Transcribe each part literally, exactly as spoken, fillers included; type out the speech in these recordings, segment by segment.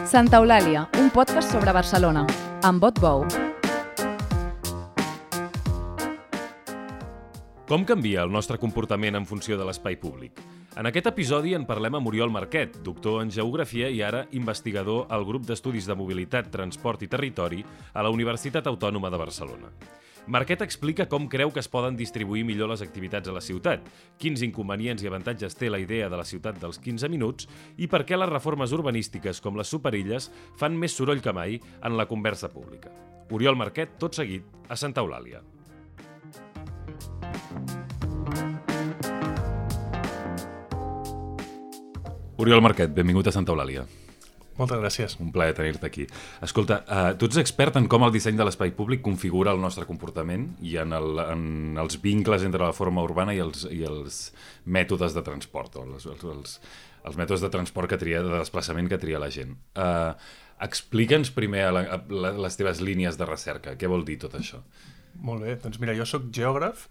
Santa Eulàlia, un podcast sobre Barcelona, amb Bot Bou. Com canvia el nostre comportament en funció de l'espai públic? En aquest episodi en parlem amb Oriol Marquet, doctor en Geografia i ara investigador al grup d'estudis de mobilitat, transport i territori a la Universitat Autònoma de Barcelona. Marquet explica com creu que es poden distribuir millor les activitats a la ciutat, quins inconvenients i avantatges té la idea de la ciutat dels quinze minuts i per què les reformes urbanístiques com les superilles fan més soroll que mai en la conversa pública. Oriol Marquet, tot seguit, a Santa Eulàlia. Oriol Marquet, benvingut a Santa Eulàlia. Moltes gràcies. Un plaer tenir-te aquí. Escolta, uh, tu ets expert en com el disseny de l'espai públic configura el nostre comportament i en, el, en els vincles entre la forma urbana i els, i els mètodes de transport, o els, els, els mètodes de transport que tria, de desplaçament que tria la gent. Uh, Explica'ns primer a la, a les teves línies de recerca. Què vol dir tot això? Molt bé, doncs mira, jo sóc geògraf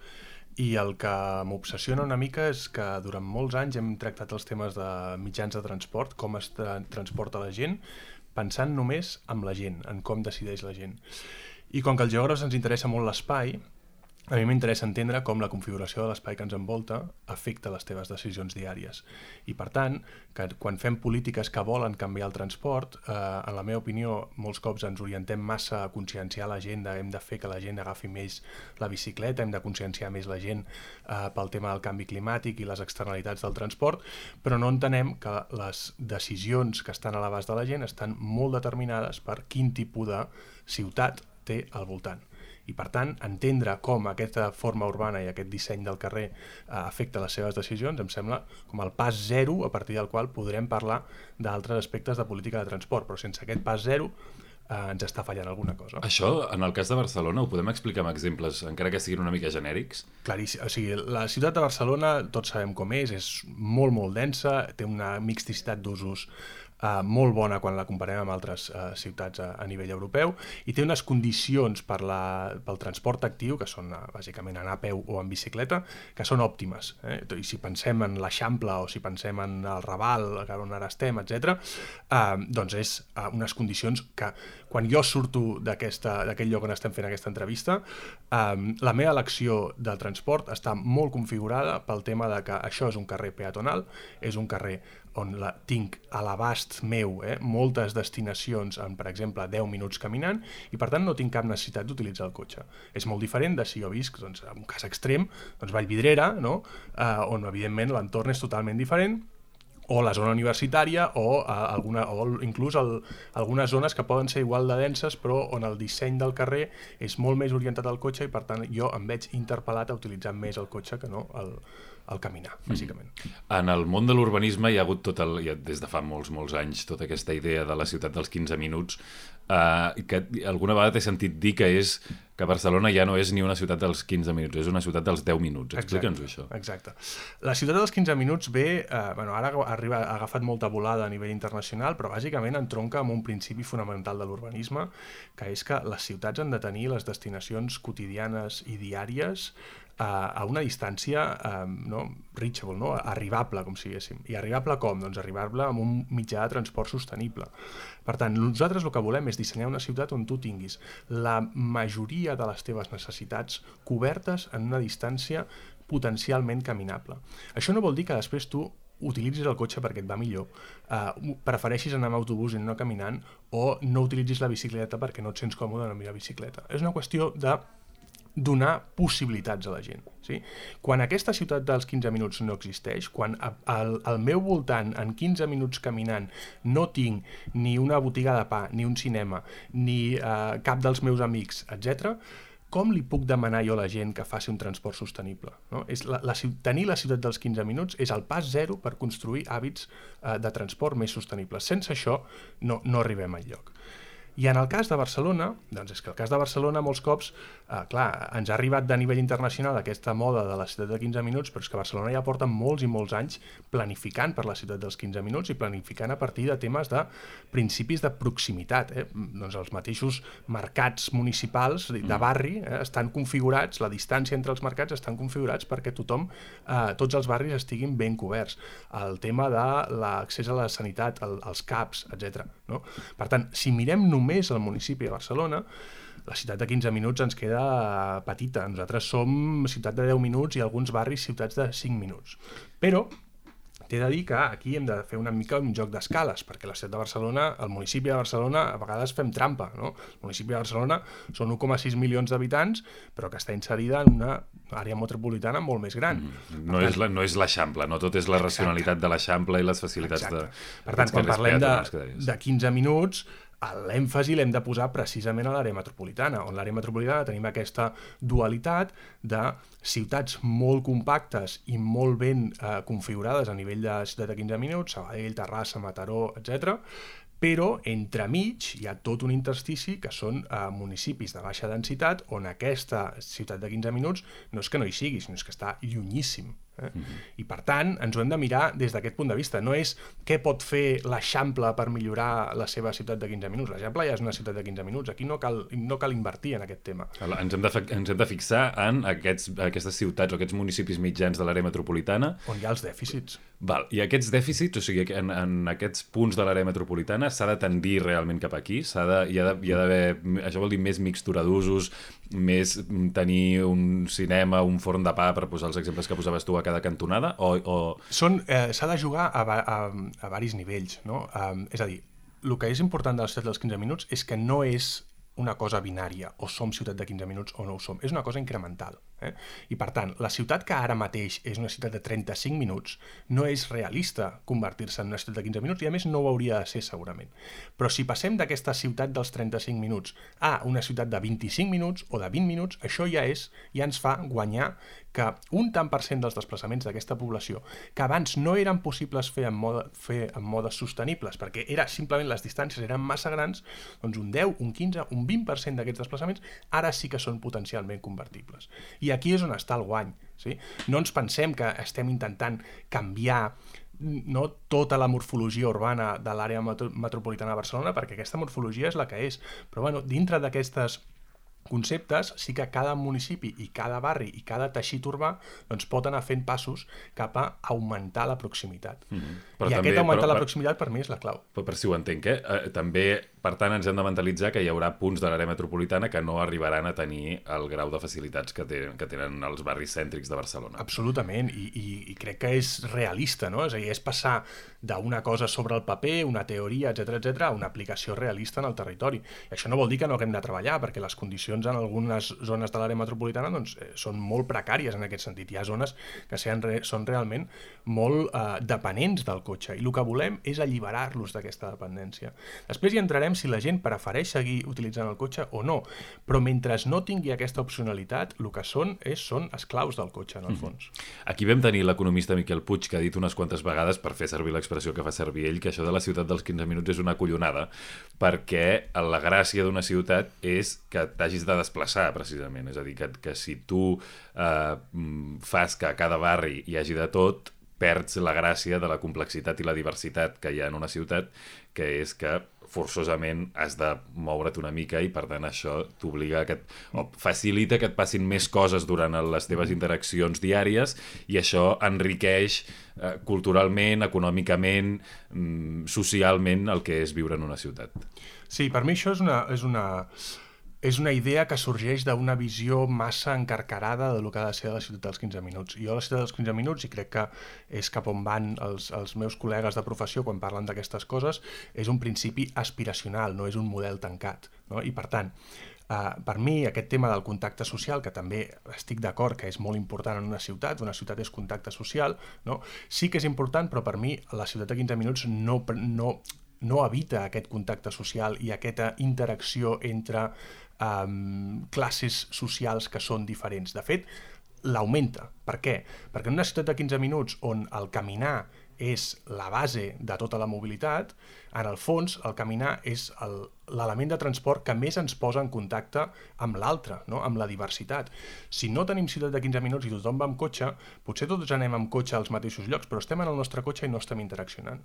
i el que m'obsessiona una mica és que durant molts anys hem tractat els temes de mitjans de transport, com es tra- transporta la gent, pensant només en la gent, en com decideix la gent. I com que als geògrafs ens interessa molt l'espai, a mi m'interessa entendre com la configuració de l'espai que ens envolta afecta les teves decisions diàries. I per tant, que quan fem polítiques que volen canviar el transport, eh, en la meva opinió, molts cops ens orientem massa a conscienciar la gent, hem de fer que la gent agafi més la bicicleta, hem de conscienciar més la gent eh, pel tema del canvi climàtic i les externalitats del transport, però no entenem que les decisions que estan a l'abast de la gent estan molt determinades per quin tipus de ciutat té al voltant. I per tant, entendre com aquesta forma urbana i aquest disseny del carrer eh, afecta les seves decisions em sembla com el pas zero a partir del qual podrem parlar d'altres aspectes de política de transport, però sense aquest pas zero eh, ens està fallant alguna cosa. Això, en el cas de Barcelona, ho podem explicar amb exemples, encara que siguin una mica genèrics? Claríssim, o sigui, la ciutat de Barcelona, tots sabem com és, és molt, molt densa, té una mixticitat d'usos Uh, molt bona quan la comparem amb altres uh, ciutats a, a nivell europeu i té unes condicions per la, pel transport actiu, que són uh, bàsicament anar a peu o en bicicleta, que són òptimes. Eh? I si pensem en l'Eixample o si pensem en el Raval, on ara estem, etcètera, uh, doncs és uh, unes condicions que quan jo surto d'aquell lloc on estem fent aquesta entrevista, um, la meva elecció del transport està molt configurada pel tema de que això és un carrer peatonal, és un carrer on la, tinc a l'abast meu eh, moltes destinacions en, per exemple, deu minuts caminant i, per tant, no tinc cap necessitat d'utilitzar el cotxe. És molt diferent de si jo visc, doncs, en un cas extrem, doncs Vallvidrera, no? eh, on, evidentment, l'entorn és totalment diferent, o la zona universitària, o, uh, alguna, o inclús el, algunes zones que poden ser igual de denses, però on el disseny del carrer és molt més orientat al cotxe i, per tant, jo em veig interpel·lat a utilitzar més el cotxe que no el, el caminar, bàsicament. Mm. En el món de l'urbanisme hi ha hagut tot el, ja des de fa molts, molts anys tota aquesta idea de la ciutat dels quinze minuts, eh, que alguna vegada t'he sentit dir que és que Barcelona ja no és ni una ciutat dels quinze minuts, és una ciutat dels deu minuts. Explica'ns-ho, això. Exacte. La ciutat dels quinze minuts ve, eh, bueno, ara arriba, ha agafat molta volada a nivell internacional, però bàsicament entronca amb un principi fonamental de l'urbanisme, que és que les ciutats han de tenir les destinacions quotidianes i diàries a una distància eh, no, reachable, no? Arribable, com si diguéssim. I arribable com? Doncs arribable amb un mitjà de transport sostenible. Per tant, nosaltres el que volem és dissenyar una ciutat on tu tinguis la majoria de les teves necessitats cobertes en una distància potencialment caminable. Això no vol dir que després tu utilitzis el cotxe perquè et va millor, uh, prefereixis anar amb autobús i no caminant, o no utilitzis la bicicleta perquè no et sents còmode en la bicicleta. És una qüestió de donar possibilitats a la gent. Sí? Quan aquesta ciutat dels quinze minuts no existeix, quan al, al meu voltant, en quinze minuts caminant, no tinc ni una botiga de pa, ni un cinema, ni uh, cap dels meus amics, etcètera, com li puc demanar jo a la gent que faci un transport sostenible? No? És la, la, tenir la ciutat dels quinze minuts és el pas zero per construir hàbits uh, de transport més sostenibles. Sense això no, no arribem enlloc. I en el cas de Barcelona, doncs és que el cas de Barcelona molts cops, eh, clar, ens ha arribat de nivell internacional aquesta moda de la ciutat de quinze minuts, però és que Barcelona ja porta molts i molts anys planificant per la ciutat dels quinze minuts i planificant a partir de temes de principis de proximitat. Eh? Doncs els mateixos mercats municipals de barri eh, estan configurats, la distància entre els mercats estan configurats perquè tothom, eh, tots els barris estiguin ben coberts. El tema de l'accés a la sanitat, el, els CAPs, etcètera no? Per tant, si mirem només el municipi de Barcelona, la ciutat de quinze minuts ens queda petita. Nosaltres som ciutat de deu minuts i alguns barris ciutats de cinc minuts. Però t'he de dir que aquí hem de fer una mica un joc d'escales, perquè la ciutat de Barcelona, el municipi de Barcelona, a vegades fem trampa, no? El municipi de Barcelona són u coma sis milions d'habitants, però que està inserida en una àrea metropolitana molt més gran. Mm. No, tant, és la, no és l'Eixample, no tot és la racionalitat de l'Eixample i les facilitats exacte. de... Per tant, quan parlem de, de quinze minuts, l'èmfasi l'hem de posar precisament a l'àrea metropolitana, on l'àrea metropolitana tenim aquesta dualitat de ciutats molt compactes i molt ben eh, configurades a nivell de ciutat de quinze minuts, Sabadell, Terrassa, Mataró, etcètera, però entremig hi ha tot un interstici que són eh, municipis de baixa densitat on aquesta ciutat de quinze minuts no és que no hi sigui, sinó és que està llunyíssim. Eh? Mm-hmm. I per tant, ens ho hem de mirar des d'aquest punt de vista. No és què pot fer l'Eixample per millorar la seva ciutat de quinze minuts. L'Eixample ja és una ciutat de quinze minuts. Aquí no cal, no cal invertir en aquest tema. Ens hem de, ens hem de fixar en aquests, aquestes ciutats o aquests municipis mitjans de l'àrea metropolitana. On hi ha els dèficits. Val. I aquests dèficits, o sigui, en, en aquests punts de l'àrea metropolitana s'ha de tendir realment cap aquí? S'ha de, hi ha d'haver, això vol dir més mixtura d'usos, més tenir un cinema, un forn de pa, per posar els exemples que posaves tu a cada cantonada? O, o... Són, eh, s'ha de jugar a, a, a, a varis nivells, no? Um, és a dir, el que és important de la ciutat dels quinze minuts és que no és una cosa binària, o som ciutat de quinze minuts o no ho som, és una cosa incremental. Eh? I per tant, la ciutat que ara mateix és una ciutat de trenta-cinc minuts no és realista convertir-se en una ciutat de quinze minuts i a més no ho hauria de ser segurament. Però si passem d'aquesta ciutat dels trenta-cinc minuts a una ciutat de vint-i-cinc minuts o de vint minuts, això ja és, ja ens fa guanyar que un tant per cent dels desplaçaments d'aquesta població, que abans no eren possibles fer en, mode, fer en modes sostenibles, perquè era simplement les distàncies eren massa grans, doncs un deu, un quinze, un vint per cent d'aquests desplaçaments ara sí que són potencialment convertibles. I aquí és on està el guany. Sí? No ens pensem que estem intentant canviar no tota la morfologia urbana de l'àrea metro metropolitana de Barcelona, perquè aquesta morfologia és la que és. Però bueno, dintre d'aquestes conceptes, sí que cada municipi i cada barri i cada teixit urbà doncs, pot anar fent passos cap a augmentar la proximitat. Mm-hmm. I també, aquest augmentar però, la proximitat per mi és la clau. Però per si ho entenc, eh? eh? També, per tant, ens hem de mentalitzar que hi haurà punts de l'àrea metropolitana que no arribaran a tenir el grau de facilitats que, té, que tenen els barris cèntrics de Barcelona. Absolutament, I, i, i crec que és realista, no? És a dir, és passar d'una cosa sobre el paper, una teoria, etcètera, etcètera, a una aplicació realista en el territori. I això no vol dir que no haguem de treballar, perquè les condicions en algunes zones de l'àrea metropolitana doncs, són molt precàries en aquest sentit. Hi ha zones que re, són realment molt eh, dependents del cotxe i el que volem és alliberar-los d'aquesta dependència. Després hi entrarem si la gent prefereix seguir utilitzant el cotxe o no, però mentre no tingui aquesta opcionalitat, el que són és, són esclaus del cotxe, en el fons. Aquí vam tenir l'economista Miquel Puig, que ha dit unes quantes vegades, per fer servir l'expressió que fa servir ell, que això de la ciutat dels quinze minuts és una collonada, perquè la gràcia d'una ciutat és que t'hagis de desplaçar, precisament. És a dir, que, que si tu eh, fas que a cada barri hi hagi de tot, perds la gràcia de la complexitat i la diversitat que hi ha en una ciutat, que és que forçosament has de moure't una mica i per tant això t'obliga a que et, o facilita que et passin més coses durant les teves interaccions diàries i això enriqueix eh, culturalment, econòmicament, mm, socialment el que és viure en una ciutat. Sí, per mi això és una... És una... és una idea que sorgeix d'una visió massa encarcarada de lo que ha de ser la ciutat dels quinze minuts. Jo a la ciutat dels quinze minuts, i crec que és cap on van els, els meus col·legues de professió quan parlen d'aquestes coses, és un principi aspiracional, no és un model tancat. No? I per tant, eh, per mi aquest tema del contacte social, que també estic d'acord que és molt important en una ciutat, una ciutat és contacte social, no? Sí que és important, però per mi la ciutat de quinze minuts no... no no evita aquest contacte social i aquesta interacció entre um, classes socials que són diferents. De fet, l'augmenta. Per què? Perquè en una ciutat de quinze minuts on el caminar és la base de tota la mobilitat, en el fons el caminar és l'element de transport que més ens posa en contacte amb l'altre, no? Amb la diversitat. Si no tenim ciutat de quinze minuts i tothom va amb cotxe, potser tots anem amb cotxe als mateixos llocs, però estem en el nostre cotxe i no estem interaccionant.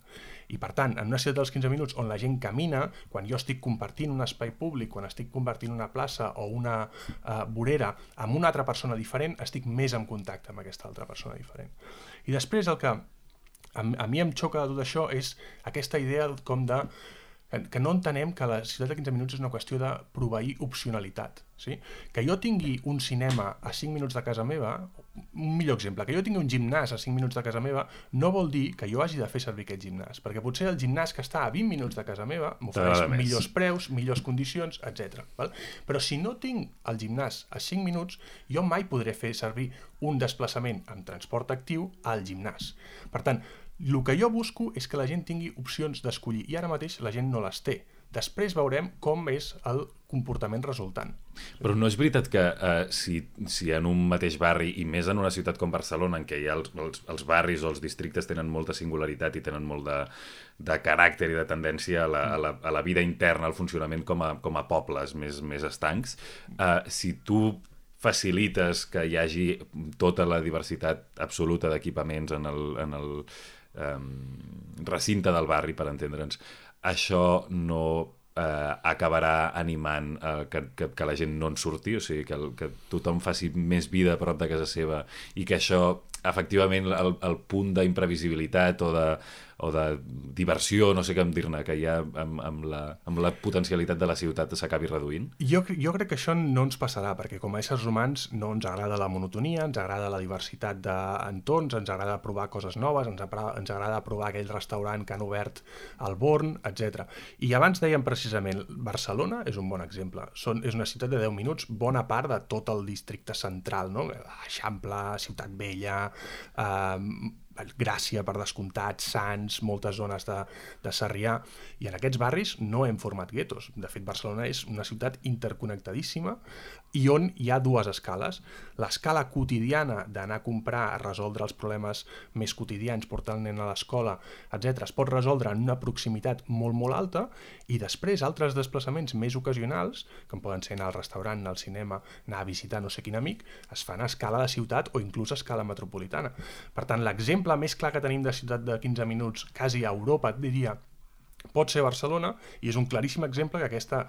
I per tant, en una ciutat dels quinze minuts on la gent camina, quan jo estic compartint un espai públic, quan estic compartint una plaça o una uh, vorera amb una altra persona diferent, estic més en contacte amb aquesta altra persona diferent. I després el que a mi em xoca de tot això és aquesta idea com de que no entenem que la ciutat de quinze minuts és una qüestió de proveir opcionalitat. Sí? Que jo tingui un cinema a cinc minuts de casa meva, un millor exemple, que jo tingui un gimnàs a cinc minuts de casa meva, no vol dir que jo hagi de fer servir aquest gimnàs, perquè potser el gimnàs que està a vint minuts de casa meva m'ofereix millors preus, millors condicions, etcètera. Val? Però si no tinc el gimnàs a cinc minuts, jo mai podré fer servir un desplaçament amb transport actiu al gimnàs. Per tant, el que jo busco és que la gent tingui opcions d'escollir, i ara mateix la gent no les té. Després veurem com és el comportament resultant. Però no és veritat que eh, si, si en un mateix barri, i més en una ciutat com Barcelona, en què ja els, els, els barris o els districtes tenen molta singularitat i tenen molt de, de caràcter i de tendència a la, a la, a la vida interna, al funcionament com a, com a pobles més, més estancs, eh, si tu facilites que hi hagi tota la diversitat absoluta d'equipaments en el, en el eh, recinte del barri, per entendre'ns, això no eh, acabarà animant eh, que, que, que la gent no en surti, o sigui, que, el, que tothom faci més vida a prop de casa seva i que això, efectivament, el, el punt d'imprevisibilitat o de, o de diversió, no sé com dir-ne, que hi ha amb, amb, la, amb la potencialitat de la ciutat s'acabi reduint? Jo, jo crec que això no ens passarà, perquè com a éssers humans no ens agrada la monotonia, ens agrada la diversitat d'entorns, ens agrada provar coses noves, ens, ens agrada provar aquell restaurant que han obert al Born, etcètera. I abans dèiem precisament, Barcelona és un bon exemple. Són, és una ciutat de deu minuts, bona part de tot el districte central, no? Eixample, Ciutat Vella, eh, Gràcia, per descomptat, Sants, moltes zones de, de Sarrià, i en aquests barris no hem format guetos. De fet, Barcelona és una ciutat interconnectadíssima i on hi ha dues escales. L'escala quotidiana d'anar a comprar, a resoldre els problemes més quotidians, portar el nen a l'escola, etcètera, es pot resoldre en una proximitat molt, molt alta, i després altres desplaçaments més ocasionals, que poden ser anar al restaurant, anar al cinema, anar a visitar no sé quin amic, es fan a escala de ciutat o inclús a escala metropolitana. Per tant, l'exemple més clar que tenim de ciutat de quinze minuts, quasi a Europa, et diria, pot ser Barcelona, i és un claríssim exemple que aquesta,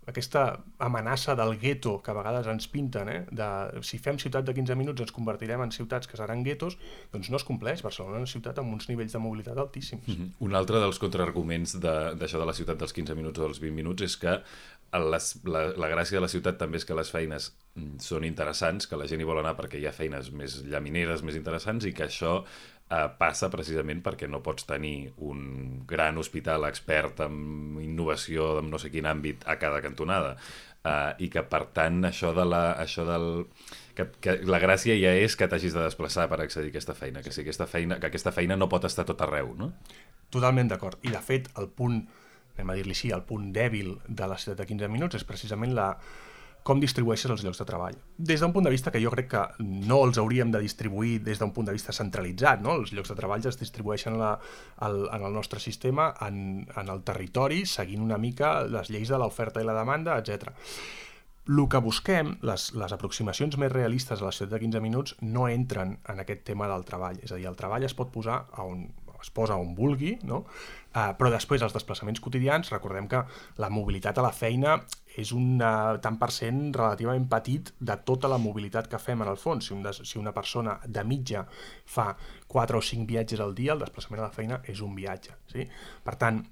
aquesta amenaça del gueto que a vegades ens pinten, eh, de si fem ciutat de quinze minuts ens convertirem en ciutats que seran guetos, doncs no es compleix. Barcelona és una ciutat amb uns nivells de mobilitat altíssims. Mm-hmm. Un altre dels contraarguments d'això de, de la ciutat dels quinze minuts o dels vint minuts és que les, la, la gràcia de la ciutat també és que les feines són interessants, que la gent hi vol anar perquè hi ha feines més llamineres, més interessants, i que això eh, passa precisament perquè no pots tenir un gran hospital expert en innovació en no sé quin àmbit a cada cantonada. Uh, i que per tant això de la, això del, que, que la gràcia ja és que t'hagis de desplaçar per accedir a aquesta feina, que, sí, aquesta feina, que aquesta feina no pot estar tot arreu, no? Totalment d'acord. I de fet el punt, anem a dir-li així, el punt dèbil de la ciutat de quinze minuts és precisament la, com distribueixes els llocs de treball. Des d'un punt de vista que jo crec que no els hauríem de distribuir des d'un punt de vista centralitzat, no? Els llocs de treball es distribueixen la, el, en el nostre sistema, en, en el territori, seguint una mica les lleis de l'oferta i la demanda, etcètera. El que busquem, les, les aproximacions més realistes a la ciutat de quinze minuts no entren en aquest tema del treball. És a dir, el treball es pot posar a on es posa on vulgui, no? Uh, però després els desplaçaments quotidians, recordem que la mobilitat a la feina és un uh, tant per cent relativament petit de tota la mobilitat que fem en el fons. Si, un des, si una persona de mitja fa quatre o cinc viatges al dia, el desplaçament a la feina és un viatge. Sí? Per tant,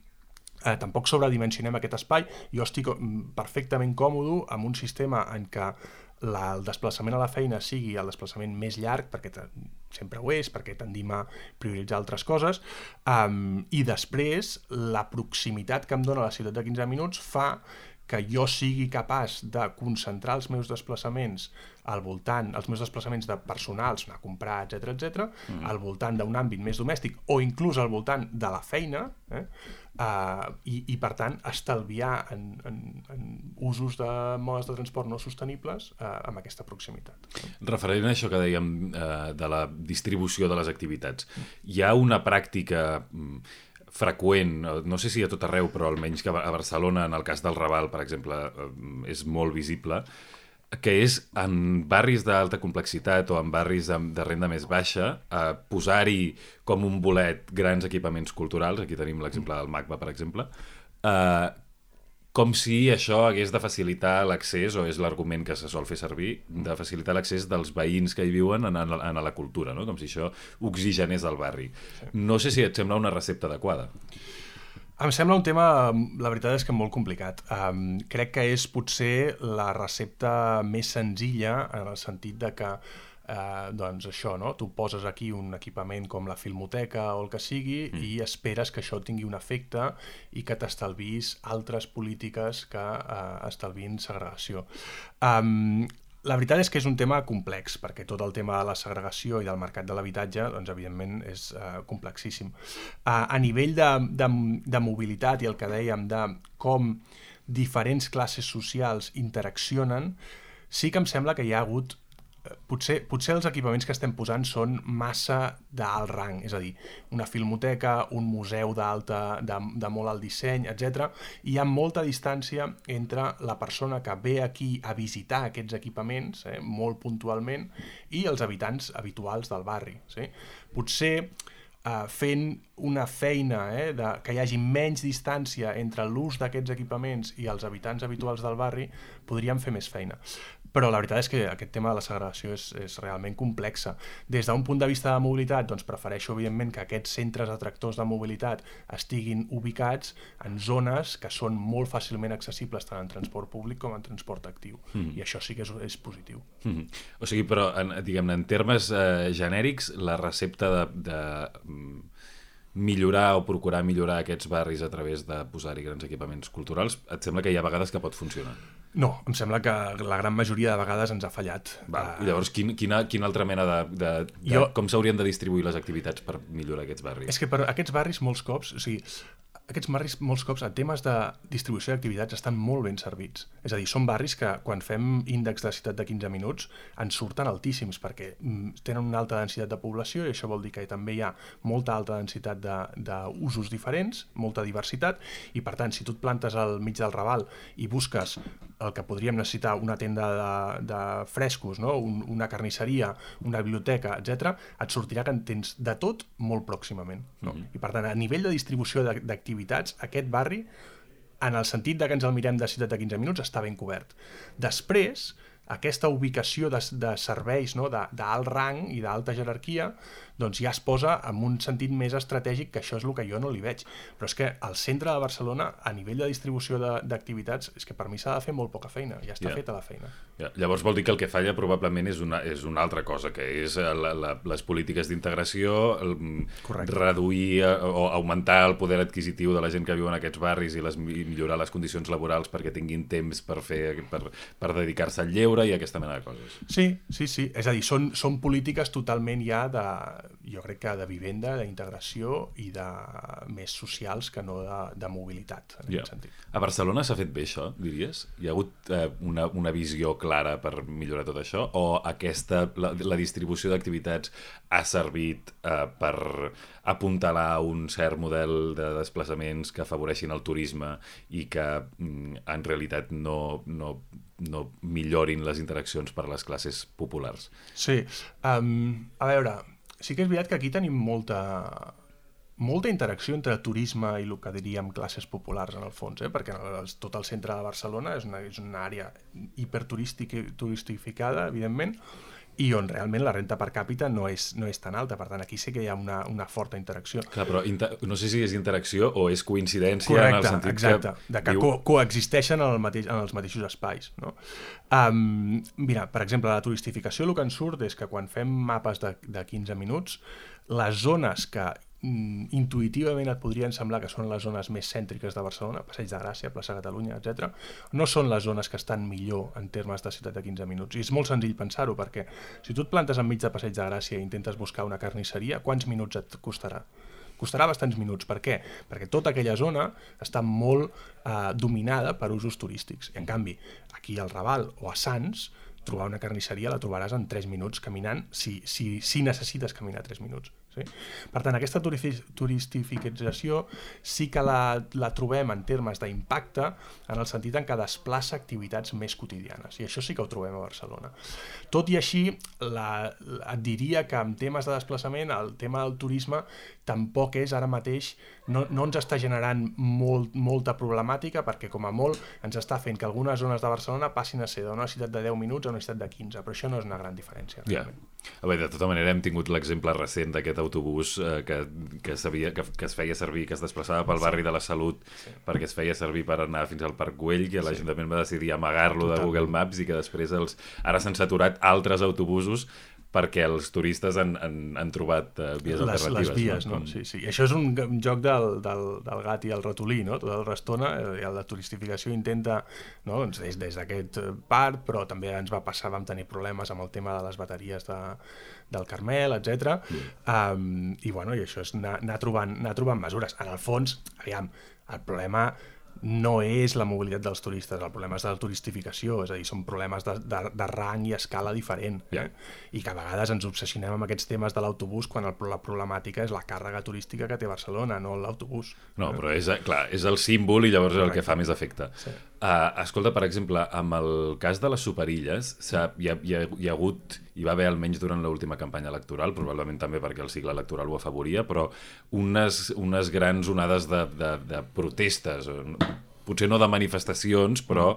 eh, tampoc sobredimensionem aquest espai. Jo estic perfectament còmode amb un sistema en què la, el desplaçament a la feina sigui el desplaçament més llarg, perquè sempre ho és, perquè tendim a prioritzar altres coses, um, i després la proximitat que em dona la ciutat de quinze minuts fa que jo sigui capaç de concentrar els meus desplaçaments al voltant, els meus desplaçaments de personals, anar a comprar, etcètera, etcètera, mm. al voltant d'un àmbit més domèstic o inclús al voltant de la feina, eh? Uh, i, i per tant estalviar en, en, en usos de modes de transport no sostenibles uh, amb aquesta proximitat. Referent a això que dèiem uh, de la distribució de les activitats, hi ha una pràctica freqüent, no sé si a tot arreu, però almenys que a Barcelona, en el cas del Raval, per exemple, és molt visible, que és en barris d'alta complexitat o en barris de, de renda més baixa, eh, posar-hi com un bolet grans equipaments culturals, aquí tenim l'exemple del MACBA, per exemple, eh, com si això hagués de facilitar l'accés, o és l'argument que se sol fer servir, de facilitar l'accés dels veïns que hi viuen en, en, en la cultura, no? Com si això oxigenés el barri. No sé si et sembla una recepta adequada. Em sembla un tema, la veritat és que molt complicat. Um, crec que és potser la recepta més senzilla en el sentit de que Uh, doncs això, no? Tu poses aquí un equipament com la filmoteca o el que sigui mm. i esperes que això tingui un efecte i que t'estalvis altres polítiques que uh, estalvin segregació. Um, la veritat és que és un tema complex, perquè tot el tema de la segregació i del mercat de l'habitatge, doncs evidentment és uh, complexíssim. Uh, a nivell de, de, de mobilitat i el que dèiem de com diferents classes socials interaccionen, sí que em sembla que hi ha hagut Potser, potser els equipaments que estem posant són massa d'alt rang, és a dir, una filmoteca, un museu d'alta, de, de molt alt disseny, etcètera. Hi ha molta distància entre la persona que ve aquí a visitar aquests equipaments, eh, molt puntualment, i els habitants habituals del barri. Sí? Potser eh, fent una feina eh, de, que hi hagi menys distància entre l'ús d'aquests equipaments i els habitants habituals del barri, podríem fer més feina. Però la veritat és que aquest tema de la segregació és, és realment complexa. Des d'un punt de vista de mobilitat, doncs prefereixo, evidentment, que aquests centres atractors de mobilitat estiguin ubicats en zones que són molt fàcilment accessibles tant en transport públic com en transport actiu. Mm. I això sí que és, és positiu. Mm. O sigui, però, en, diguem-ne, en termes eh, genèrics, la recepta de... de millorar o procurar millorar aquests barris a través de posar-hi grans equipaments culturals, et sembla que hi ha vegades que pot funcionar? No, em sembla que la gran majoria de vegades ens ha fallat. Val. I llavors, quin, quina, quina altra mena de... de, de jo... com s'haurien de distribuir les activitats per millorar aquests barris? És que per aquests barris molts cops, o sigui, aquests barris molts cops a temes de distribució d'activitats estan molt ben servits. És a dir, són barris que quan fem índex de ciutat de quinze minuts ens surten altíssims perquè tenen una alta densitat de població i això vol dir que també hi ha molta alta densitat d'usos diferents, molta diversitat, i per tant, si tu et plantes al mig del Raval i busques el que podríem necessitar, una tenda de, de frescos, no? Un, una carnisseria, una biblioteca, etcètera, et sortirà que en tens de tot molt pròximament. No? Mm-hmm. I per tant, a nivell de distribució d'activitats, aquest barri, en el sentit de que ens el mirem de ciutat de quinze minuts, està ben cobert. Després, aquesta ubicació de, de serveis, no? d'alt rang i d'alta jerarquia, doncs ja es posa en un sentit més estratègic, que això és el que jo no li veig. Però és que al centre de Barcelona, a nivell de distribució d'activitats, és que per mi s'ha de fer molt poca feina, ja està yeah. feta la feina. Yeah. Llavors vol dir que el que falla probablement és una, és una altra cosa, que és la, la, les polítiques d'integració, reduir o augmentar el poder adquisitiu de la gent que viu en aquests barris i, les, i millorar les condicions laborals perquè tinguin temps per, fer, per, per dedicar-se al lleure i aquesta mena de coses. Sí, sí, sí. És a dir, són, són polítiques totalment ja de, jo crec que de vivenda, d'integració i de més socials que no de, de mobilitat, en yeah. aquest sentit. A Barcelona s'ha fet bé això, diries? Hi ha hagut eh, una, una visió clara per millorar tot això? O aquesta, la, la distribució d'activitats ha servit eh, per apuntalar un cert model de desplaçaments que afavoreixin el turisme i que mm, en realitat no, no, no millorin les interaccions per a les classes populars? Sí. Um, a veure, sí que és veritat que aquí tenim molta, molta interacció entre turisme i el que diríem classes populars en el fons, eh? Perquè el, tot el centre de Barcelona és una, és una àrea hiperturistificada, evidentment, i on realment la renta per càpita no és, no és tan alta. Per tant, aquí sí que hi ha una, una forta interacció. Clar, però inter... no sé si és interacció o és coincidència. Correcte, en el sentit exacte, que... de que diu... co coexisteixen en, el mateix, en els mateixos espais. No? Um, mira, per exemple, la turistificació el que en surt és que quan fem mapes de, de quinze minuts, les zones que intuïtivament et podrien semblar que són les zones més cèntriques de Barcelona, Passeig de Gràcia, plaça Catalunya, etcètera, no són les zones que estan millor en termes de ciutat de quinze minuts. I és molt senzill pensar-ho, perquè si tu et plantes enmig de Passeig de Gràcia i intentes buscar una carnisseria, quants minuts et costarà? Costarà bastants minuts. Per què? Perquè tota aquella zona està molt eh, dominada per usos turístics. I en canvi, aquí al Raval o a Sants, trobar una carnisseria la trobaràs en tres minuts caminant, si, si, si necessites caminar tres minuts. Sí? Per tant, aquesta turistificació sí que la, la trobem en termes d'impacte en el sentit en què desplaça activitats més quotidianes, i això sí que ho trobem a Barcelona. Tot i així, la, et diria que en temes de desplaçament el tema del turisme tampoc és ara mateix, no, no ens està generant molt, molta problemàtica, perquè com a molt ens està fent que algunes zones de Barcelona passin a ser d'una ciutat de deu minuts a una ciutat de quinze, però això no és una gran diferència. Yeah. A veure, de tota manera hem tingut l'exemple recent d'aquest autobús eh, que, que, sabia, que, que es feia servir, que es desplaçava pel barri de la Salut sí. perquè es feia servir per anar fins al Parc Güell, que l'Ajuntament sí. va decidir amagar-lo de Google Maps i que després els... ara s'han saturat altres autobusos perquè els turistes han, han, han trobat uh, vies les, alternatives. Les vies, no? no? Sí, sí. I això és un, un joc del, del, del gat i el ratolí, no? Tota l'estona, eh, la turistificació intenta, no? doncs des, des d'aquest part, però també ens va passar, vam tenir problemes amb el tema de les bateries de, del Carmel, etcètera. Mm. Um, I, bueno, i això és anar, anar, trobant, anar trobant mesures. En el fons, aviam, el problema no és la mobilitat dels turistes, el problema és de la turistificació, és a dir, són problemes de, de, de rang i escala diferent, eh? Yeah. I que a vegades ens obsessionem amb aquests temes de l'autobús quan el, la problemàtica és la càrrega turística que té Barcelona, no l'autobús. No, eh? Però és, clar, és el símbol i llavors és el que fa més efecte. Sí. Uh, escolta, per exemple, amb el cas de les superilles, hi ha, hi, ha, hi ha hagut, hi va haver almenys durant l'última campanya electoral, probablement també perquè el cicle electoral ho afavoria, però unes, unes grans onades de, de, de protestes, potser no de manifestacions, però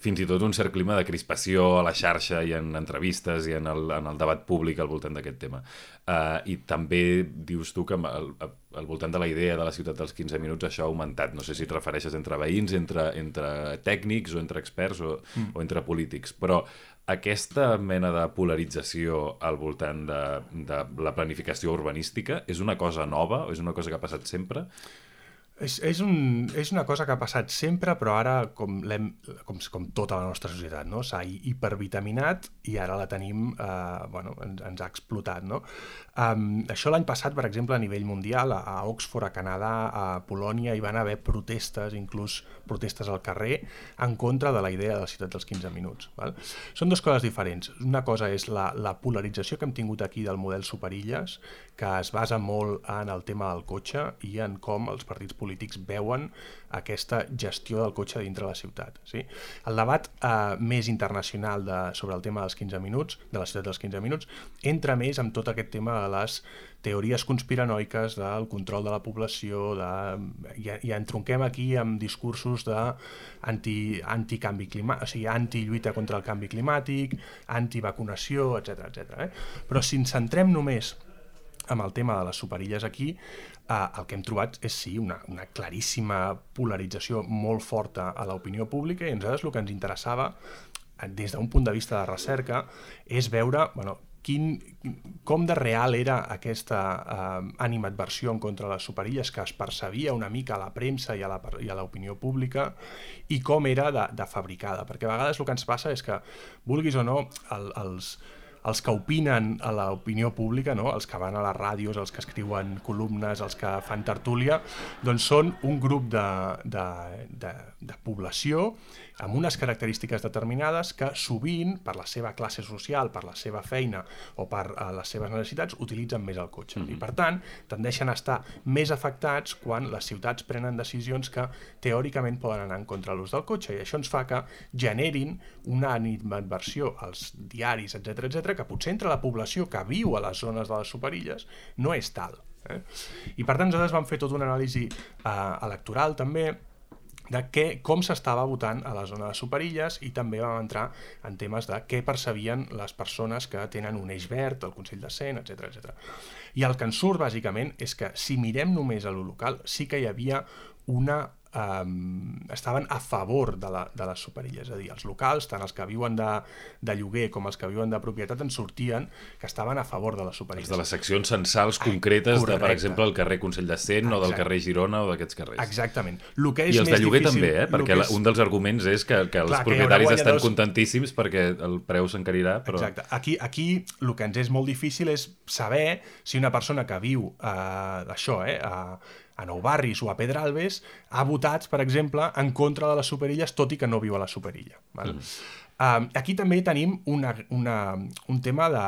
fins i tot un cert clima de crispació a la xarxa i en entrevistes i en el, en el debat públic al voltant d'aquest tema. Uh, I també dius tu que al, al voltant de la idea de la ciutat dels quinze minuts això ha augmentat. No sé si et refereixes entre veïns, entre, entre tècnics o entre experts o, mm. o entre polítics, però aquesta mena de polarització al voltant de, de la planificació urbanística és una cosa nova? És una cosa que ha passat sempre? És, és, un, és una cosa que ha passat sempre, però ara, com, com, com tota la nostra societat, no? S'ha hipervitaminat i ara la tenim, eh, bueno, ens, ens ha explotat, no? Um, això l'any passat, per exemple, a nivell mundial, a, a Oxford, a Canadà, a Polònia, hi van haver protestes, inclús protestes al carrer, en contra de la idea de la ciutat dels quinze minuts. Val? Són dues coses diferents. Una cosa és la, la polarització que hem tingut aquí del model superilles, que es basa molt en el tema del cotxe i en com els partits polítics veuen aquesta gestió del cotxe dintre la ciutat. Sí? El debat eh, més internacional de, sobre el tema dels quinze minuts, de la ciutat dels quinze minuts, entra més amb tot aquest tema de les teories conspiranoiques, del control de la població, de, i, i entronquem aquí amb discursos de anti, anticanvi climàtic, o sigui, antilluita contra el canvi climàtic, antivacunació, etcètera, etcètera. Eh? Però si ens centrem només amb el tema de les superilles aquí, eh, el que hem trobat és sí una, una claríssima polarització molt forta a l'opinió pública, i a nosaltres el que ens interessava des d'un punt de vista de recerca és veure, bueno, quin, com de real era aquesta eh, animadversió en contra de les superilles que es percebia una mica a la premsa i a la, i a l'opinió pública, i com era de, de fabricada, perquè a vegades el que ens passa és que, vulguis o no, el, els els que opinen a l'opinió pública, no? Els que van a les ràdios, els que escriuen columnes, els que fan tertúlia, doncs són un grup de, de, de, de població amb unes característiques determinades que sovint, per la seva classe social, per la seva feina o per uh, les seves necessitats, utilitzen més el cotxe. Mm-hmm. I per tant, tendeixen a estar més afectats quan les ciutats prenen decisions que teòricament poden anar en contra l'ús del cotxe, i això ens fa que generin una animadversió als diaris, etcètera, etcètera, que potser entre la població que viu a les zones de les superilles no és tal. Eh? I per tant, nosaltres vam fer tota una anàlisi eh, electoral també de què, com s'estava votant a la zona de superilles, i també vam entrar en temes de què percebien les persones que tenen un eix verd, el Consell de Cent, etcètera, etcètera. I el que ens surt, bàsicament, és que si mirem només a lo local, sí que hi havia una Um, estaven a favor de, la, de les superilles, és a dir, els locals, tant els que viuen de, de lloguer com els que viuen de propietat, en sortien que estaven a favor de les superilles. Els de les seccions censals concretes, ah, de, per exemple, el carrer Consell de Cent, o del carrer Girona o d'aquests carrers. Exactament. Lo que és I els més de lloguer difícil, també, eh? Perquè és... un dels arguments és que, que els Clar, propietaris que estan contentíssims perquè el preu s'encarirà. Però... Exacte. Aquí, aquí el que ens és molt difícil és saber si una persona que viu eh, això, eh, a a Nou Barris o a Pedralbes, ha votat, per exemple, en contra de les superilles, tot i que no viu a la superilla. Val? Mm. Uh, aquí també tenim una, una, un tema de,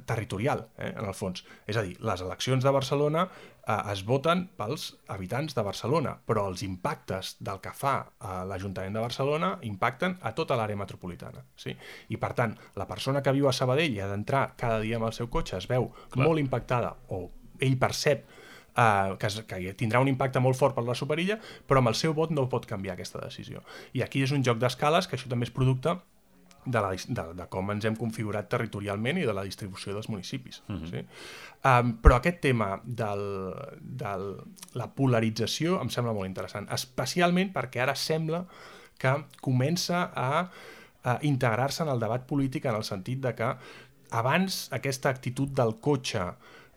territorial, eh, en el fons. És a dir, les eleccions de Barcelona uh, es voten pels habitants de Barcelona, però els impactes del que fa uh, l'Ajuntament de Barcelona impacten a tota l'àrea metropolitana. Sí? I, per tant, la persona que viu a Sabadell i ha d'entrar cada dia amb el seu cotxe es veu Clar. molt impactada, o ell percep Uh, que, que tindrà un impacte molt fort per la superilla, però amb el seu vot no pot canviar aquesta decisió. I aquí és un joc d'escales, que això també és producte de, la, de, de com ens hem configurat territorialment i de la distribució dels municipis. Uh-huh. Sí? Um, però aquest tema de la polarització em sembla molt interessant, especialment perquè ara sembla que comença a, a integrar-se en el debat polític en el sentit de que abans aquesta actitud del cotxe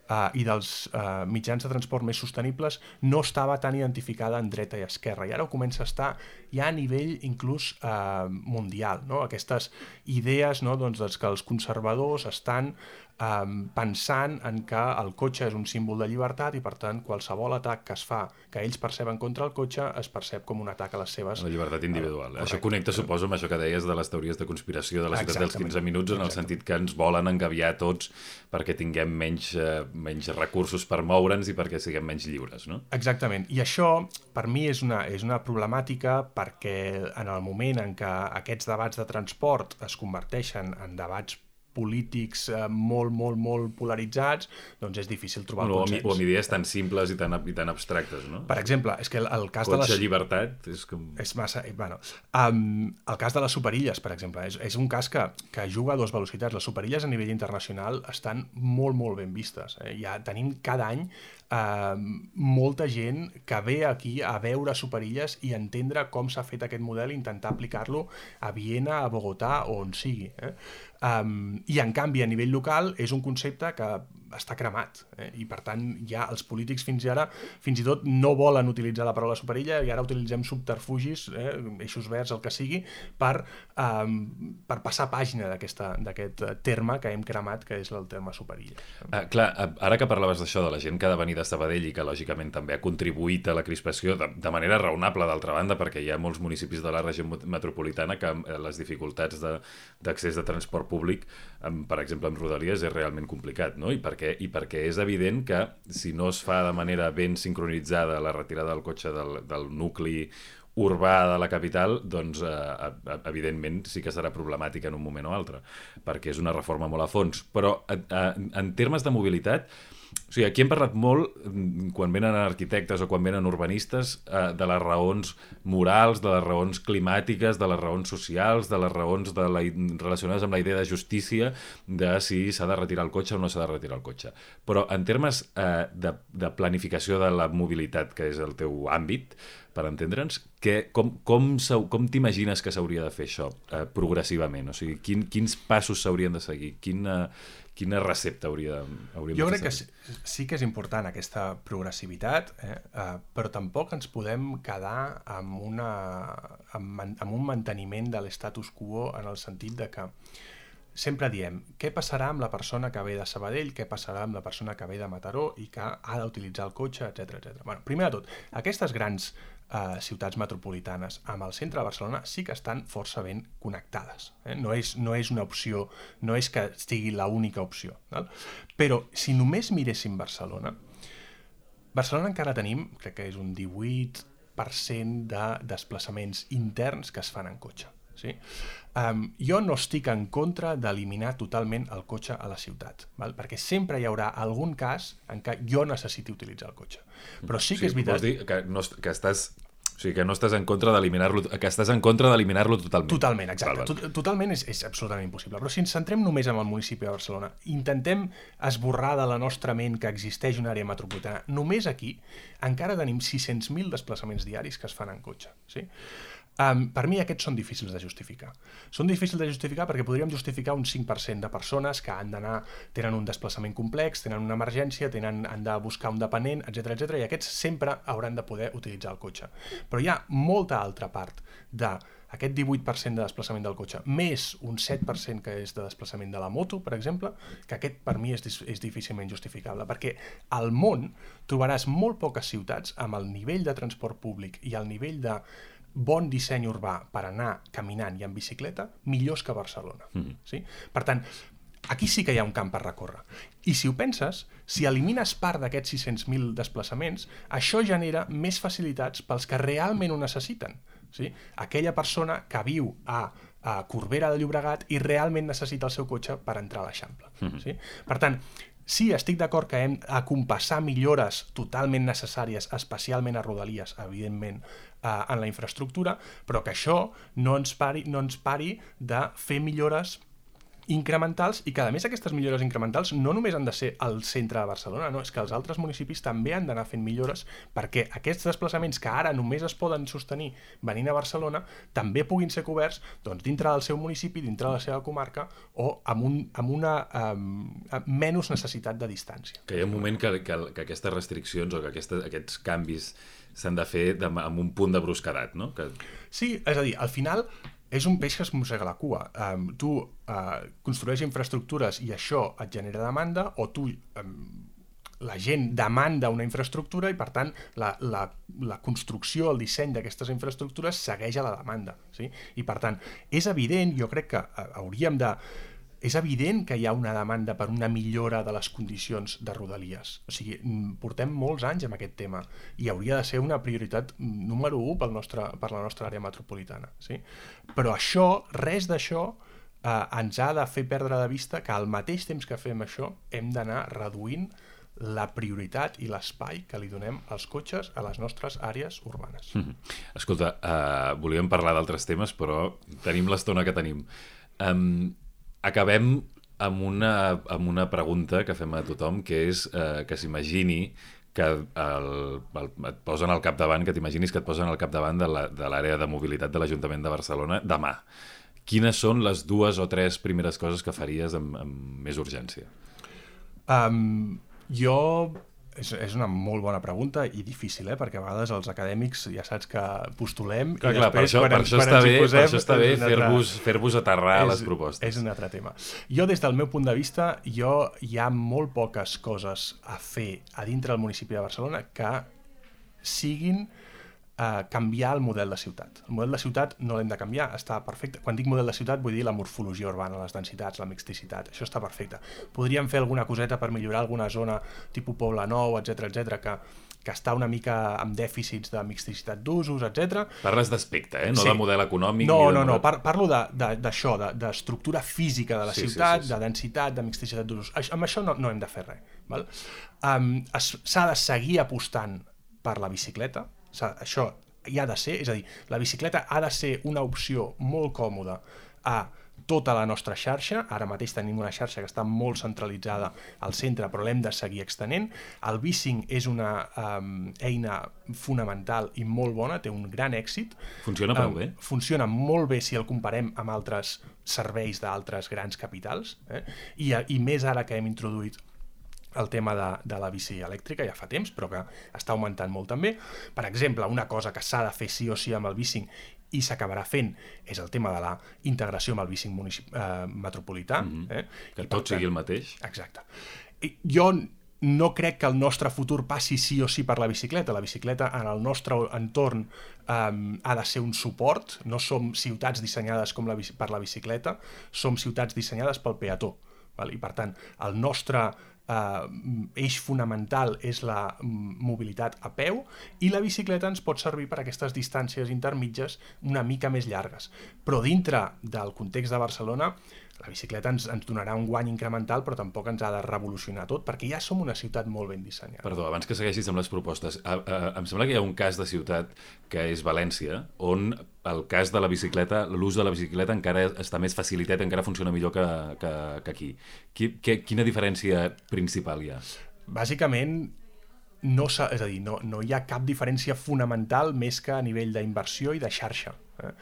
Uh, i dels uh, mitjans de transport més sostenibles no estava tan identificada en dreta i esquerra, i ara ho comença a estar ja a nivell inclús uh, mundial, no? Aquestes idees, no? Doncs, doncs que els conservadors estan um, pensant en que el cotxe és un símbol de llibertat i per tant qualsevol atac que es fa, que ells perceben contra el cotxe, es percep com un atac a les seves... La llibertat individual. Uh, això connecta, suposo, amb això que deies de les teories de conspiració de la ciutat dels quinze minuts, en el sentit que ens volen engabiar tots perquè tinguem menys... Uh, menys recursos per moure'ns i perquè siguem menys lliures, no? Exactament. I això, per mi, és una, és una problemàtica perquè en el moment en què aquests debats de transport es converteixen en debats polítics eh, molt, molt, molt polaritzats, doncs és difícil trobar no, el consens. O amb idees tan simples i tan, i tan abstractes, no? Per exemple, és que el, el cas Cotxe, de les... Cotxe, llibertat, és com... És massa... Bueno, um, el cas de les superilles, per exemple, és, és un cas que, que juga a dues velocitats. Les superilles a nivell internacional estan molt, molt ben vistes. Eh? Ja tenim cada any Uh, molta gent que ve aquí a veure superilles i entendre com s'ha fet aquest model i intentar aplicar-lo a Viena, a Bogotà o on sigui. Eh? Um, I en canvi a nivell local és un concepte que està cremat, eh? I per tant ja els polítics fins i ara fins i tot no volen utilitzar la paraula superilla i ara utilitzem subterfugis, eh? eixos verds, el que sigui, per, um, per passar pàgina d'aquest terme que hem cremat, que és el terme superilla. Ah, clar, ara que parlaves d'això de la gent que ha de venir de Sabadell i que lògicament també ha contribuït a la crispació de, de manera raonable, d'altra banda, perquè hi ha molts municipis de la regió metropolitana que les dificultats d'accés de, de transport públic, per exemple amb Rodalies, és realment complicat, no? I perquè, i perquè és evident que si no es fa de manera ben sincronitzada la retirada del cotxe del, del nucli urbà de la capital, doncs eh, evidentment sí que serà problemàtica en un moment o altre, perquè és una reforma molt a fons. Però eh, en termes de mobilitat, o sigui, aquí hem parlat molt, quan venen arquitectes o quan venen urbanistes, eh, de les raons morals, de les raons climàtiques, de les raons socials, de les raons de la, relacionades amb la idea de justícia, de si s'ha de retirar el cotxe o no s'ha de retirar el cotxe. Però en termes eh, de, de planificació de la mobilitat, que és el teu àmbit, per entendre'ns, que, com, com, com t'imagines que s'hauria de fer això eh, progressivament? O sigui, quin, quins passos s'haurien de seguir? Quina, quina recepta hauria, hauríem jo de fer? Jo crec que sí que és important aquesta progressivitat, eh? Uh, però tampoc ens podem quedar amb, una, amb, amb un manteniment de l'estatus quo en el sentit de que sempre diem, què passarà amb la persona que ve de Sabadell, què passarà amb la persona que ve de Mataró i que ha d'utilitzar el cotxe, etcètera, etcètera. Bueno, primer de tot, aquestes grans eh, ciutats metropolitanes amb el centre de Barcelona sí que estan força ben connectades. Eh? No és, no és una opció, no és que sigui l'única opció. Val? Però si només miréssim Barcelona, Barcelona encara tenim, crec que és un divuit per cent de desplaçaments interns que es fan en cotxe. Sí? Um, jo no estic en contra d'eliminar totalment el cotxe a la ciutat, val? Perquè sempre hi haurà algun cas en què jo necessiti utilitzar el cotxe. Però sí que sí, és veritat... Vols dir que, no, que estàs... O sigui, que no estàs en contra d'eliminar-lo, que estàs en contra d'eliminar-lo totalment. Totalment, exacte. Val, val. Totalment és, és absolutament impossible. Però si ens centrem només en el municipi de Barcelona, intentem esborrar de la nostra ment que existeix una àrea metropolitana, només aquí encara tenim sis-cents mil desplaçaments diaris que es fan en cotxe. Sí? Um, per mi aquests són difícils de justificar. Són difícils de justificar perquè podríem justificar un cinc per cent de persones que han d'anar, tenen un desplaçament complex, tenen una emergència, tenen, han de buscar un dependent, etcètera, etcètera, i aquests sempre hauran de poder utilitzar el cotxe. Però hi ha molta altra part d'aquest divuit per cent de desplaçament del cotxe, més un set per cent que és de desplaçament de la moto, per exemple, que aquest per mi és, és difícilment justificable, perquè al món trobaràs molt poques ciutats amb el nivell de transport públic i el nivell de bon disseny urbà per anar caminant i en bicicleta millors que Barcelona. Mm. Sí? Per tant, aquí sí que hi ha un camp per recórrer. I si ho penses, si elimines part d'aquests sis-cents mil desplaçaments, això genera més facilitats pels que realment ho necessiten. Sí? Aquella persona que viu a, a Corbera de Llobregat i realment necessita el seu cotxe per entrar a l'Eixample. Mm. Sí? Per tant, Sí, estic d'acord que hem de compassar millores totalment necessàries, especialment a Rodalies, evidentment, eh, en la infraestructura, però que això no ens pari, no ens pari de fer millores incrementals i que, a més, aquestes millores incrementals no només han de ser al centre de Barcelona, no, és que els altres municipis també han d'anar fent millores perquè aquests desplaçaments que ara només es poden sostenir venint a Barcelona també puguin ser coberts doncs, dintre del seu municipi, dintre de la seva comarca o amb, un, amb una um, menys necessitat de distància. Que hi ha un moment que, que, que aquestes restriccions o que aquestes, aquests canvis s'han de fer de, amb un punt de brusquedat, no? Que... Sí, és a dir, al final és un peix que es mossega la cua. Um, tu uh, construeixes infraestructures i això et genera demanda, o tu, um, la gent demanda una infraestructura i, per tant, la, la, la construcció, el disseny d'aquestes infraestructures segueix a la demanda. Sí? I, per tant, és evident, jo crec que uh, hauríem de... És evident que hi ha una demanda per una millora de les condicions de Rodalies. O sigui, portem molts anys amb aquest tema i hauria de ser una prioritat número u pel nostre, per la nostra àrea metropolitana. Sí? Però això, res d'això, eh, ens ha de fer perdre de vista que al mateix temps que fem això hem d'anar reduint la prioritat i l'espai que li donem als cotxes a les nostres àrees urbanes. Mm-hmm. Escolta, uh, volíem parlar d'altres temes, però tenim l'estona que tenim. Um, Acabem amb una, amb una pregunta que fem a tothom, que és eh, que s'imagini que el, el, et posen al capdavant, que t'imaginis que et posen al capdavant de l'àrea de mobilitat de l'Ajuntament de Barcelona demà. Quines són les dues o tres primeres coses que faries amb, amb més urgència? Um, jo... És, és una molt bona pregunta i difícil, eh? Perquè a vegades els acadèmics ja saps que postulem clar, i clar, després per això, quan, per això quan està ens hi bé, posem... Per això està bé fer-vos altre... fer-vos aterrar és, les propostes. És un altre tema. Jo, des del meu punt de vista, jo hi ha molt poques coses a fer a dintre del municipi de Barcelona que siguin Uh, canviar el model de ciutat. El model de ciutat no l'hem de canviar, està perfecte. Quan dic model de ciutat vull dir la morfologia urbana, les densitats, la mixticitat, això està perfecte. Podríem fer alguna coseta per millorar alguna zona tipus Poble Nou, etcètera, etcètera, que, que està una mica amb dèficits de mixticitat d'usos, etcètera. Parles d'aspecte, eh? No sí. de model econòmic. No, ni de no, model... no, Par parlo d'això, de, de, d'estructura física de la sí, ciutat, sí, sí, sí. de densitat, de mixticitat d'usos. Amb això no, no hem de fer res. Val? Um, s'ha de seguir apostant per la bicicleta, això hi ha de ser, és a dir, la bicicleta ha de ser una opció molt còmoda a tota la nostra xarxa. Ara mateix tenim una xarxa que està molt centralitzada al centre, però l'hem de seguir extenent. El bicing és una um, eina fonamental i molt bona, té un gran èxit. Funciona prou um, bé? Funciona molt bé si el comparem amb altres serveis d'altres grans capitals, eh? I, i més ara que hem introduït el tema de, de la bici elèctrica, ja fa temps, però que està augmentant molt també. Per exemple, una cosa que s'ha de fer sí o sí amb el bicing i s'acabarà fent és el tema de la integració amb el bicing municip eh, metropolità. Mm-hmm. eh? Que tot sigui el mateix. Exacte. I jo no crec que el nostre futur passi sí o sí per la bicicleta. La bicicleta en el nostre entorn um, ha de ser un suport. No som ciutats dissenyades com la, per la bicicleta, som ciutats dissenyades pel peató. Val? I per tant, el nostre Uh, eix fonamental és la um, mobilitat a peu i la bicicleta ens pot servir per a aquestes distàncies intermitges una mica més llargues. Però dintre del context de Barcelona, la bicicleta ens, ens donarà un guany incremental, però tampoc ens ha de revolucionar tot, perquè ja som una ciutat molt ben dissenyada. Perdó, abans que segueixis amb les propostes, a, a, em sembla que hi ha un cas de ciutat que és València, on el cas de la bicicleta, l'ús de la bicicleta encara està més facilitat, encara funciona millor que, que, que aquí. Qui, que, quina diferència principal hi ha? Bàsicament, no, és a dir, no, no hi ha cap diferència fonamental més que a nivell d'inversió i de xarxa. Eh?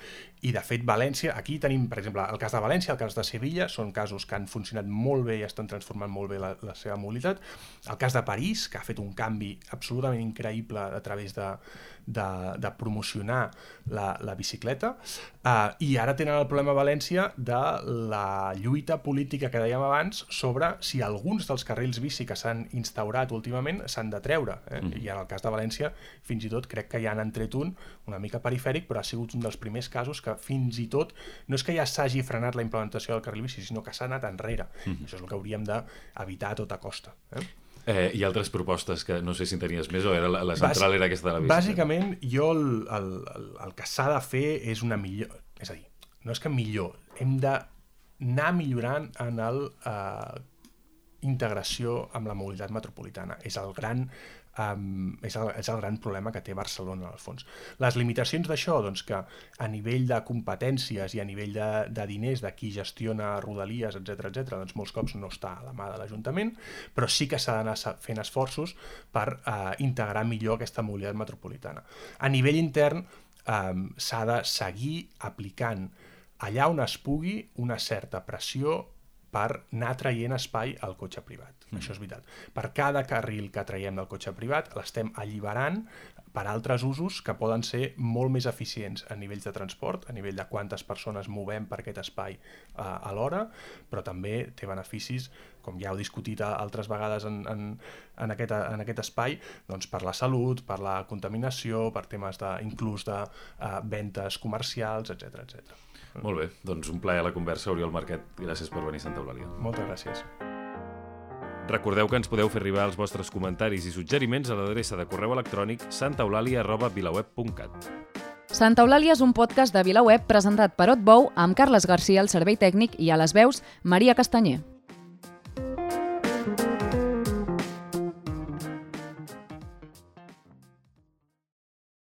I de fet València, aquí tenim per exemple el cas de València, el cas de Sevilla, són casos que han funcionat molt bé i estan transformant molt bé la, la seva mobilitat. El cas de París, que ha fet un canvi absolutament increïble a través de, de, de promocionar la, la bicicleta, uh, i ara tenen el problema a València de la lluita política que dèiem abans sobre si alguns dels carrils bici que s'han instaurat últimament s'han de treure. Eh? Mm. I en el cas de València fins i tot crec que ja han entret un una mica perifèric, però ha sigut un dels primers casos que fins i tot no és que ja s'hagi frenat la implementació del carril bici, sinó que s'ha anat enrere. Mm-hmm. Això és el que hauríem d'evitar a tota costa. Eh? Eh, hi ha altres propostes que no sé si en tenies més o era la, la central Bàs, era aquesta de la bicicleta? Bàsicament, jo el, el, el, el que s'ha de fer és una millor... És a dir, no és que millor, hem d'anar millorant en el... Eh, integració amb la mobilitat metropolitana. És el gran, um, és el, és el gran problema que té Barcelona, al fons. Les limitacions d'això, doncs que a nivell de competències i a nivell de, de diners, de qui gestiona Rodalies, etcètera, etcètera, doncs molts cops no està a la mà de l'Ajuntament, però sí que s'ha d'anar fent esforços per uh, integrar millor aquesta mobilitat metropolitana. A nivell intern, um, s'ha de seguir aplicant allà on es pugui una certa pressió per anar traient espai al cotxe privat. Mm. Això és veritat. Per cada carril que traiem del cotxe privat l'estem alliberant per altres usos que poden ser molt més eficients a nivells de transport, a nivell de quantes persones movem per aquest espai uh, alhora, però també té beneficis, com ja heu discutit altres vegades en, en, en, aquest, en aquest espai, doncs per la salut, per la contaminació, per temes de, inclús de uh, ventes comercials, etcètera, etcètera. Molt bé, doncs un plaer a la conversa, Oriol Marquet. Gràcies per venir a Santa Eulàlia. Moltes gràcies. Recordeu que ens podeu fer arribar els vostres comentaris i suggeriments a l'adreça de correu electrònic santaeulàlia arroba vilaweb punt cat. Santa Eulàlia és un podcast de VilaWeb presentat per Otbou amb Carles Garcia al servei tècnic i a les veus Maria Castanyer.